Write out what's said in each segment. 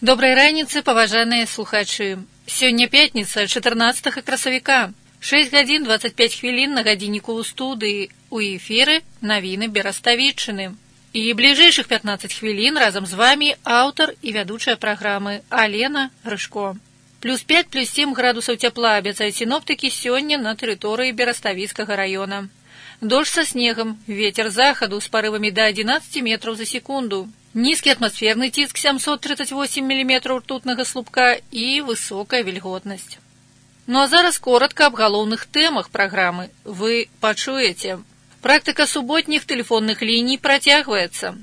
Добрай раніцы, паважаныя слухачы. Сёння пятніца, 14 красавіка. 6 гадзін 25 хвілін на гадзінніку ў студыі. У эфіры навіны Бераставіччыны. І бліжэйшых 15 хвілін разам з вамі аўтар і вядучая праграмы Алена Грышко. Плюс 5, плюс 7 градусаў цяпла абяцаюць сіноптыкі сёння на тэрыторыі Бераставіцкага раёна. Дождж са снегам, ветер захаду з парывамі да 11 метраў за секунду. Нізкі атмасферны ціск 738 мм ртутнага слупка і высокая вільготнасць. Ну а зараз коротка аб галоўных тэмах праграмы. Вы пачуеце. Практыка суботніх тэлефонных ліній працягваецца.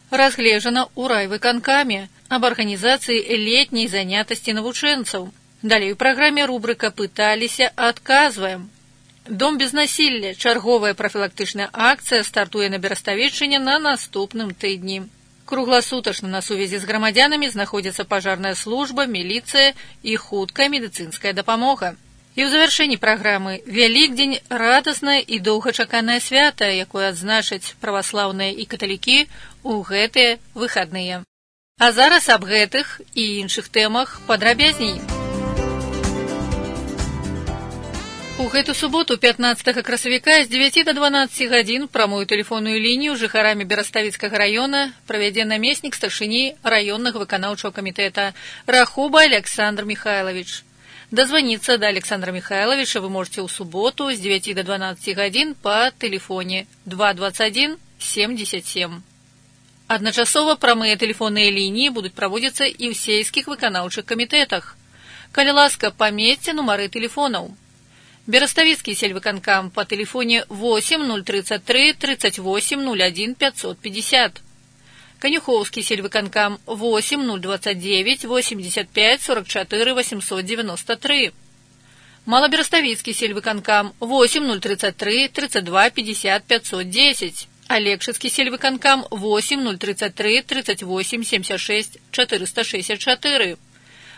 Разгледжана ў райвыканкаме аб арганізацыі летняй занятасці навучэнцаў. Далей у праграме рубрыка «Пыталіся, адказваем». Дом без насілля. Чарговая прафілактычная акцыя стартуе на Бераставіччыне на наступным тыдні. Кругласутачна на сувязі з грамадзянамі знаходзіцца пажарная служба, міліцыя і хуткая медыцынская дапамога. І ў завяршэнні праграмы Вялікдзень – радаснае і доўгачаканае свята, якое адзначаць праваслаўныя і каталікі ў гэтыя выхадныя. А зараз аб гэтых і іншых тэмах падрабязней. У гэту суботу, 15 красавіка, з 9 до 12 гадзін прамую тэлефонную лінію жыхарамі Бераставіцкага раёна правядзе намеснік старшыні раённага выканаўчага камітэта Рахуба Александр Михайлович. Дазваніцца да Александра Михайловича вы можете ў суботу з 9 до 12 гадзін па тэлефоне 221 77. Адначасова прамыя тэлефонныя лініі будуць праводзіцца і ў сельскіх выканаўчых камітэтах. Калі ласка, памесьце нумары тэлефонаў. Бераставіцкі сельвыканкам по тэлефоне 8033 38 01 550. Канюхоўскі сельвыканкам 8029 85 44 893. Малабераставіцкі сельвыканкам 8033 32 50 510. Алексіцкі сельвыканкам 8033 38 76 464.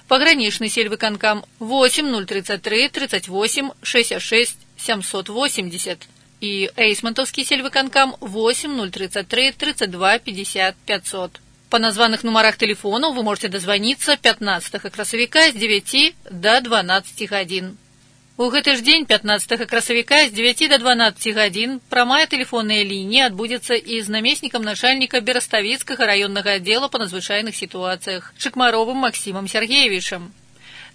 Пагранічны сельвыканкам 8033 38 66 780 і Эйсмантаўскі сельвыканкам 8033 32 50 500. Па названых нумарах тэлефонаў вы можете дазваніцца 15 красавіка з 9 до 12 гадзін. У гэты ж дзень, 15 красавіка, з 9 до 12 гадзін прамая тэлефонная лінія адбудзецца і з намеснікам начальніка Бераставіцкага раённага аддзела па надзвычайных сітуацыях Чыкмаровым Максімам Сергеевичам.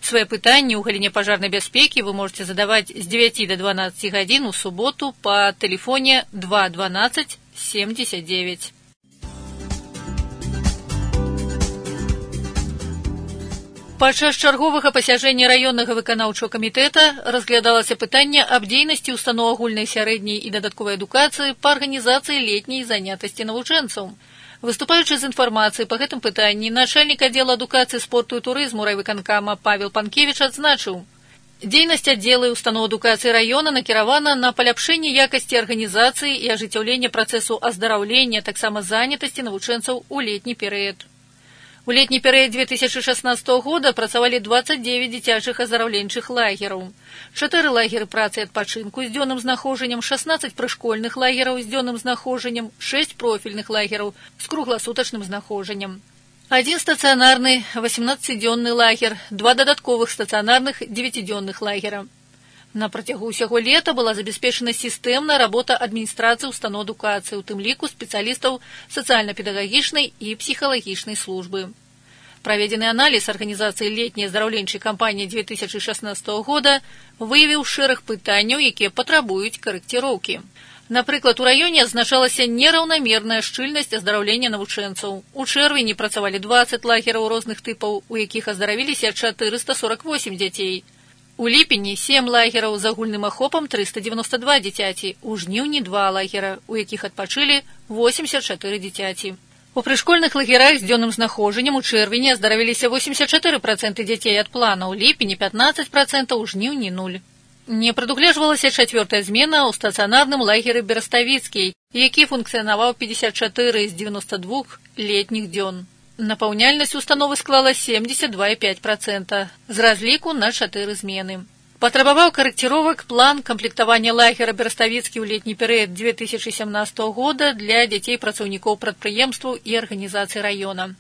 Свае пытанні ў галіне пажарнай бяспекі вы можете задаваць з 9 до 12 гадзін у суботу па тэлефоне 212 79. Падчас чарговага пасяджэння раённага выканаўчага камітэта разглядалася пытанне аб дзейнасці ўстаноў агульнай сярэдняй і дадатковай адукацыі па арганізацыі летняй занятасці навучэнцаў. Выступаючы з інфармацыяй па гэтым пытанні, начальнік аддзела адукацыі, спорту і турызму райвыканкама Павел Панкевіч адзначыў: дзейнасць аддзела і устаноў адукацыі раёна накіравана на паляпшэнне якасці арганізацыі і ажыццяўлення працэсу аздараўлення, таксама занятасці навучэнцаў у летні перыяд. У летні перыяд 2016 года працавалі 29 дзіцячых аздараўленчых лагераў, 4 лагеры працы і адпачынку з дзённым знаходжаннем, 16 прышкольных лагераў з дзённым знаходжаннем, 6 профільных лагераў з кругласутачным знаходжаннем, 1 стацыянарны 18-дзённы лагер, 2 дадатковых стацыянарных 9-дзённых лагера. На працягу ўсяго лета была забяспечана сістэмная работа адміністрацыі устаноў адукацыі, у тым ліку спецыялістаў сацыяльна-педагагічнай і псіхалагічнай службы. Праведзены аналіз арганізацыі летняй аздараўленчай кампаніі 2016 года выявіў шэраг пытанняў, якія патрабуюць карэкціроўкі. Напрыклад, у раёне адзначалася нераўнамерная шчыльнасць аздараўлення навучэнцаў. У чэрвені працавалі 20 лагераў розных тыпаў, у якіх аздаравіліся 448 дзяцей. У ліпені 7 лагераў з агульным ахопам 392 дзіцяці, у жніўні 2 лагера, у якіх адпачылі 84 дзіцяці. У прышкольных лагерах з дзённым знаходжаннем у чэрвені аздаравіліся 84% дзяцей ад плана, у ліпені 15%, у жніўні 0. Не прадугледжвалася 4-я змена ў стацыянарным лагеры Бераставіцкі, які функцыянаваў 54 з 92 летніх дзён. Напаўняльнасць установы склала 72,5% з разліку на 4 змены. Патрабаваў карэкціровак план камплектавання лагера Бераставіцкі ў летні перыяд 2017 года для дзяцей працаўнікоў прадпрыемстваў і арганізацый раёна.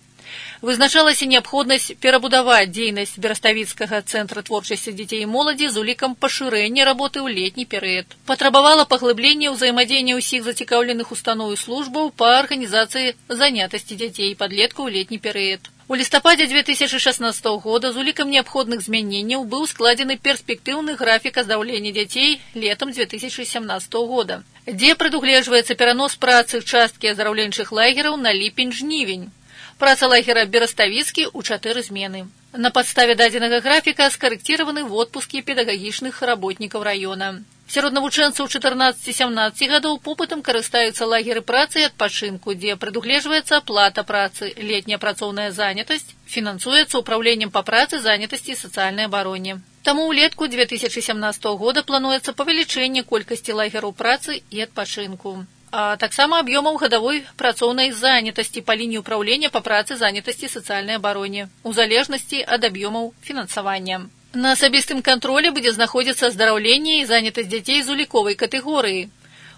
Вызначалася неабходнасць перабудаваць дзейнасць Бераставіцкага цэнтра творчасці дзяцей і моладзі з улікам пашырэння работы ў летні перыяд. Патрабавала паглыблення ўзаемадзеяння ўсіх зацікаўленых устаноў і службаў па арганізацыі занятасці дзяцей і падлеткаў у летні перыяд. У лістападзе 2016 года з улікам неабходных змяненняў быў складзены перспектыўны графік аздаўлення дзяцей летам 2017 года, дзе прадугледжваецца перанос працы часткі аздараўленчых лагераў на ліпень-жнівень. Праца лагера Бераставіцкі ў 4 змены. На падставе дадзенага графіка скарэкціраваны водпускі педагагічных работнікаў раёна. Сярод навучэнцаў 14-17 гадоў попытам карыстаюцца лагеры працы і адпачынку, дзе прадугледжваецца аплата працы, летняя працоўная занятасць, фінансуецца управленнем па працы, занятасці і сацыяльнай абароне. Таму ўлетку 2017 года плануецца павелічэнне колькасці лагераў працы і адпачынку, а таксама аб'ёмаў гадавой працоўнай занятасці па лініі ўпраўлення па працы, занятасці і сацыяльнай абароне, у залежнасці ад аб'ёмаў фінансавання. На асабістым кантролі будзе знаходзіцца аздараўленне і занятасць дзяцей з уліковай катэгорыі.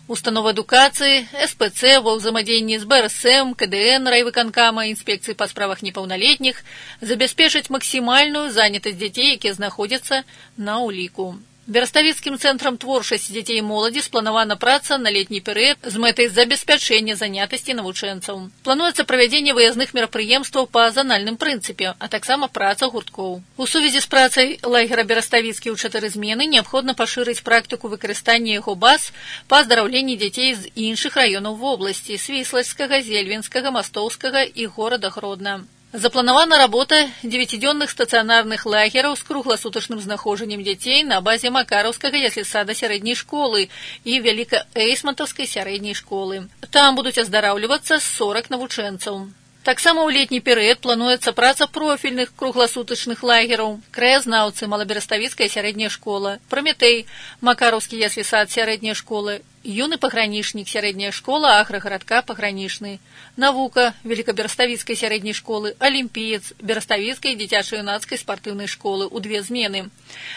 Установа адукацыі, СПЦ ва ўзаемадзеянні з БРСМ, КДН, райвыканкама, інспекцыі па справах непаўналетніх забяспечаць максімальную занятасць дзяцей, якія знаходзяцца на ўліку. Бераставіцкім цэнтрам творчасці дзяцей і моладзі спланавана праца на летні перыяд з мэтай забеспячэння занятасці навучэнцаў. Плануецца правядзенне выязных мерапрыемстваў па занальным прынцыпе, а таксама праца гурткоў. У сувязі з працай лагера Бераставіцкі ў 4 змены неабходна пашырыць практыку выкарыстання яго баз па аздараўленні дзяцей з іншых раёнаў вобласці – Свіслацкага, Зельвінскага, Мастоўскага і горада Гродна. Запланавана работа 9-дзённых стацыянарных лагераў з кругласутачным знаходжаннем дзяцей на базе Макараўскага яслісада сярэдняй школы і Вяліка-Эйсмантаўскай сярэдняй школы. Там будуць аздараўлівацца 40 навучэнцаў. Таксама ў летні перыяд плануецца праца профільных кругласутачных лагераў: краязнаўцы, Малабераставіцкая сярэдняя школа, Праметэй, Макараўскі яслісад сярэдняя школа, юны пагранічнік сярэдняя школа аграгарадка пагранічны, навука Великобераставіцкай сярэдняй школы, алімпіец Бераставіцкай дзіцяча-юнацкай спартыўнай школы ў 2 змены,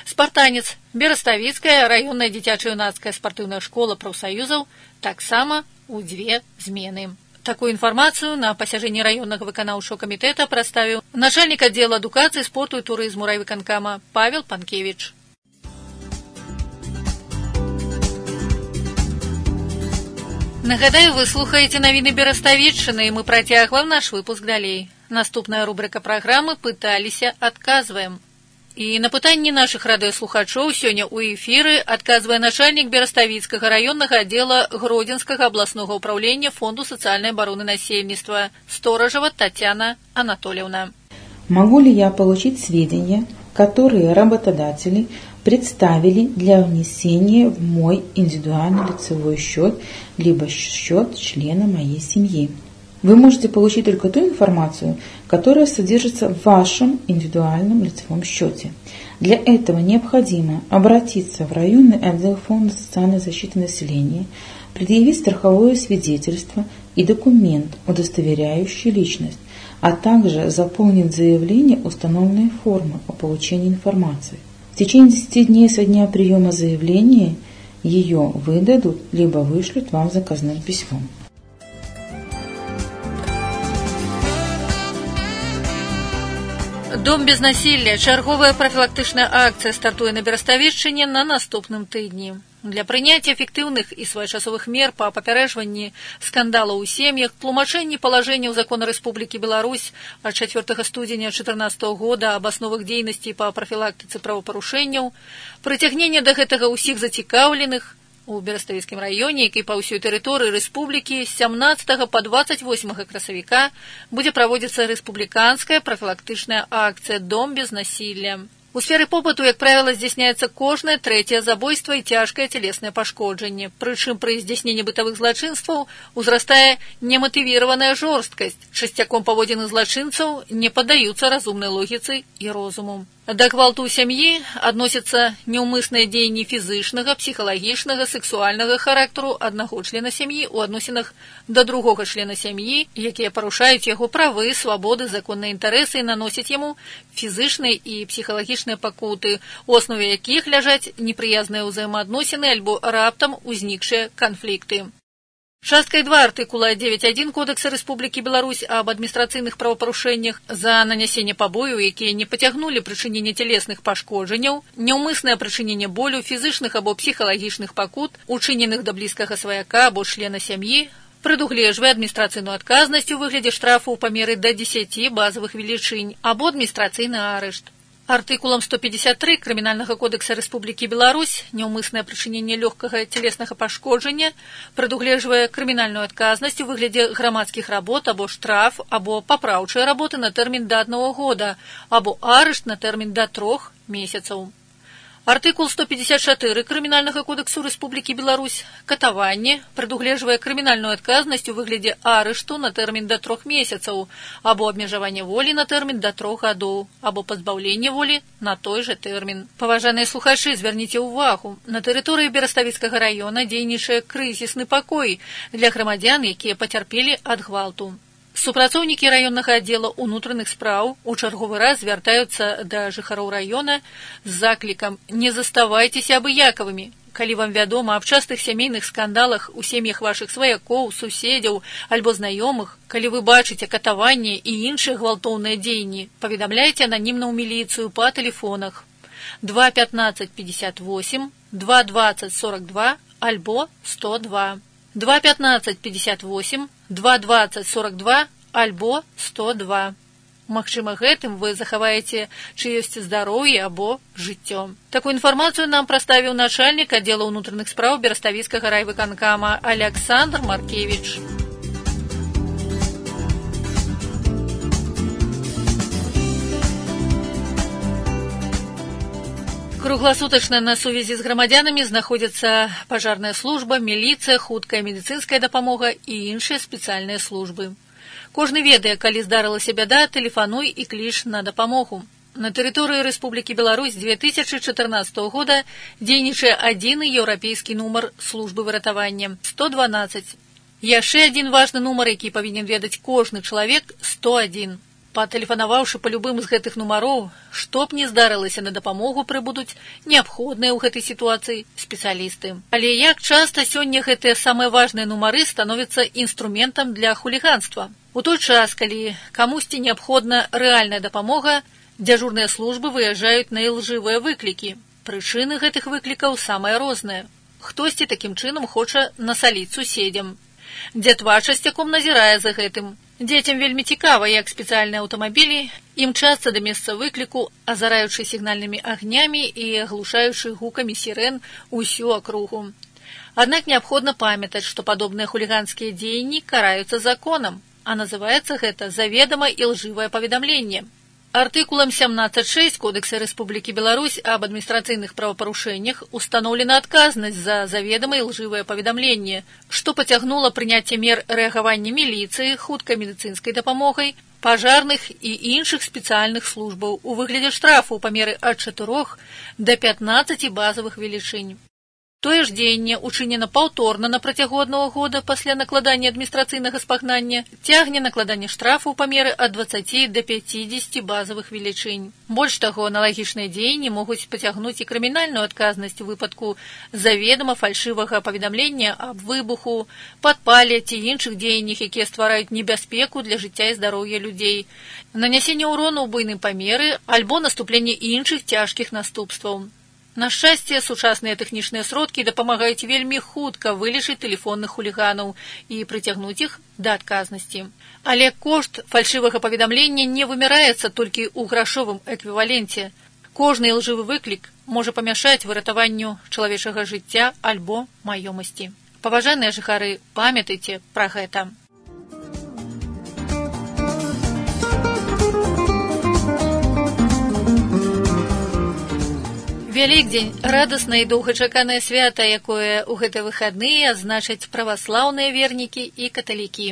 спартанец Бераставіцкая раённая дзіцяча-юнацкая спартыўная школа прафсаюзаў таксама ў 2 змены. Такую інфармацыю на пасяджэнні раённага выканаўчага камітэта прадставіў начальнік аддзела адукацыі, спорту і турызму райвыканкама Павел Панкевіч. Нагадаю, вы слухаеце навіны Бераставіччыны, і мы працягваем наш выпуск далей. Наступная рубрика праграмы «Пыталіся, адказваем». І на пытанні нашых радыёслухачоў сёння ў эфіры адказвае начальнік Бераставіцкага раённага аддзела Гродзенскага абласнога ўпраўлення Фонду сацыяльнай абароны насельніцтва Сторажева Татьяна Анатольевна. Могу ли я получить сведения, которые работодатели представили для внесения в мой индивидуальный лицевой счет, либо счет члена моей семьи? Вы можете получить только ту информацию, которая содержится в вашем индивидуальном лицевом счете. Для этого необходимо обратиться в районный отдел Фонда социальной защиты населения, предъявить страховое свидетельство и документ, удостоверяющий личность, а также заполнить заявление установленной формы о получении информации. В течение 10 дней со дня приема заявления ее выдадут, либо вышлют вам заказным письмом. Дом без насилля. Чарговая прафілактычная акцыя стартуе на Бераставішчыне на наступным тыдні. Для прыняцця эфектыўных і своечасовых мер па папярэджванні скандалаў у сем'ях, тлумачэнні палажэнняў закона Рэспублікі Беларусь ад 4 студзеня 2014 года аб асновах дзейнасці па прафілактыцы правапарушэнняў, прыцягнення да гэтага ўсіх зацікаўленых у Бераставіцкім раёне, як і па ўсёй тэрыторыі рэспублікі, з 17 па 28 красавіка будзе праводзіцца рэспубліканская прафілактычная акцыя «Дом без насилля». У сферы побыту, як правіла, здзяйсняецца кожнае 3-е забойства і цяжкае цялеснае пашкоджанне. Прычым пры здзяйсненні бытавых злачынстваў узрастае нематывіраваная жорсткасць. Часцяком паводзіны злачынцаў не паддаюцца разумнай логіцы і розуму. Да гвалту ў сям'і адносяцца няўмысныя дзеянні фізычнага, псіхалагічнага, сэксуальнага характару аднаго члена сям'і ў адносінах да другога члена сям'і, якія парушаюць яго правы, свабоды, законныя інтарэсы і наносяць яму фізычныя і псіхалагічныя пакуты, у аснове якіх ляжаць непрыязныя ўзаемаадносіны альбо раптам узнікшыя канфлікты. Часткай 2 артыкула 9.1 Кодекса Рэспублікі Беларусь аб адміністрацыйных правапарушэннях за нанясенне пабою, якія не пацягнулі прычынення цялесных пашкоджанняў, няўмыснае прычыненне болю, фізычных або псіхалагічных пакут, учыненых да блізкага сваяка або члена сям'і, прадугледжвае адміністрацыйную адказнасць у выглядзе штрафу ў памеры да 10 базавых велічынь або адміністрацыйны арышт. Артыкулам 153 Крымінальнага кодекса Рэспублікі Беларусь няўмыснае прычыненне лёгкага цялеснага пашкоджання прадугледжвае крымінальную адказнасць у выглядзе грамадскіх работ або штраф, або папраўчыя работы на тэрмін да 1 года, або арышт на тэрмін да 3 месяцаў. Артыкул 154 Крымінальнага кодексу Рэспублікі Беларусь катаванне прадугледжвае крымінальную адказнасць у выглядзе арышту на тэрмін да 3 месяцаў, або абмежаванне волі на тэрмін да 3 гадоў, або пазбаўленне волі на той жа тэрмін. Паважаныя слухачы, звярніце ўвагу, на тэрыторыі Бераставіцкага раёна дзейнічае крызісны пакой для грамадзян, якія пацярпелі ад гвалту. Супрацоўнікі раённага аддзела ўнутраных спраў у чарговы раз звяртаюцца да жыхароў раёна з заклікам «Не заставайцеся абыякавымі». Калі вам вядома аб частых сямейных скандалах у сем'ях вашых сваякоў, суседзяў альбо знаёмых, калі вы бачыце катаванне і іншыя гвалтоўныя дзеянні, паведамляйце ананімна ў міліцыю па тэлефонах 2 15 58, 2 20 42 альбо 102. 2 15 58, 2 20 42 альбо 102. Магчыма, гэтым вы захаваеце чыёсьці здароўе або жыццё. Такую інфармацыю нам прадставіў начальнік аддзела ўнутраных спраў Бераставіцкага райвыканкама Александр Маркевич. Кругласутачна на сувязі з грамадзянамі знаходзяцца пажарная служба, міліцыя, хуткая медыцынская дапамога і іншыя спецыяльныя службы. Кожны ведае, калі здарылася бяда, тэлефануй і кліч на дапамогу. На тэрыторыі Рэспублікі Беларусь 2014 года дзейнічае адзіны еўрапейскі нумар службы выратавання 112. Яшчэ адзін важны нумар, які павінен ведаць кожны чалавек – 101. Патэлефанаваўшы па любым з гэтых нумароў, што б ні здарылася, на дапамогу прыбудуць неабходныя ў гэтай сітуацыі спецыялісты. Але як часта сёння гэтыя самыя важныя нумары становяцца інструментам для хуліганства? У той час, калі камусьці неабходна рэальная дапамога, дзяжурныя службы выязджаюць на ілжывыя выклікі. Прычыны гэтых выклікаў самыя розныя. Хтосьці такім чынам хоча насаліць суседзям. Дзятва часцяком назірае за гэтым. Дзецям вельмі цікава, як спецыяльныя аўтамабілі імчацца да месца выкліку, азараючы сігнальнымі агнямі і аглушаючы гукамі сірэн усю акругу. Аднак неабходна памятаць, што падобныя хуліганскія дзеянні караюцца законам, а называецца гэта заведама ілжывае паведамленне. Артыкулам 17.6 Кодекса Рэспублікі Беларусь аб адміністрацыйных правапарушэннях устаноўлена адказнасць за заведама ілжывае паведамленне, што пацягнула прыняцце мер рэагавання міліцыі, хуткай медыцынскай дапамогай, пажарных і іншых спецыяльных службаў у выглядзе штрафу ў памеры ад 4 да 15 базавых велічынь. Тое ж дзеянне учынена паўторна на працягу 1 года пасля накладання адміністрацыйнага спагнання, цягне накладанне штрафу ў памеры ад 20 да 50 базавых велічынь. Больш таго, аналагічныя дзеянні могуць пацягнуць і крымінальную адказнасць у выпадку заведама фальшывага паведамлення аб выбуху, падпале ці іншых дзеяннях, якія ствараюць небяспеку для жыцця і здароўя людзей, нанясенне ўрону ў буйным памеры альбо наступленне іншых цяжкіх наступстваў. На шчасце, сучасныя тэхнічныя сродкі дапамагаюць вельмі хутка вылічыць тэлефонных хуліганаў і прыцягнуць іх да адказнасці. Але кошт фальшывага паведамлення не вымяраецца толькі ў грашовым эквіваленце. Кожны ілжывы выклік можа памяшаць выратаванню чалавечага жыцця альбо маёмасці. Паважаныя жыхары, памятайце пра гэта. Вялікдзень – радаснае і доўгачаканае свята, якое ў гэтыя выхадныя адзначаць праваслаўныя вернікі і каталікі.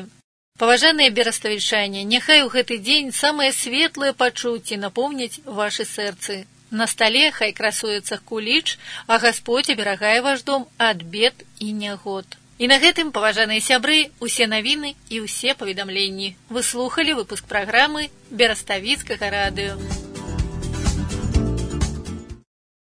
Паважаныя бераставічане, няхай у гэты дзень самыя светлыя пачуцці напоўняць вашы сэрцы. На стале хай красуецца куліч, а Гасподзь аберагае ваш дом ад бед і нягод. І на гэтым, паважаныя сябры, усе навіны і ўсе паведамленні. Вы слухалі выпуск праграмы Бераставіцкага радыё.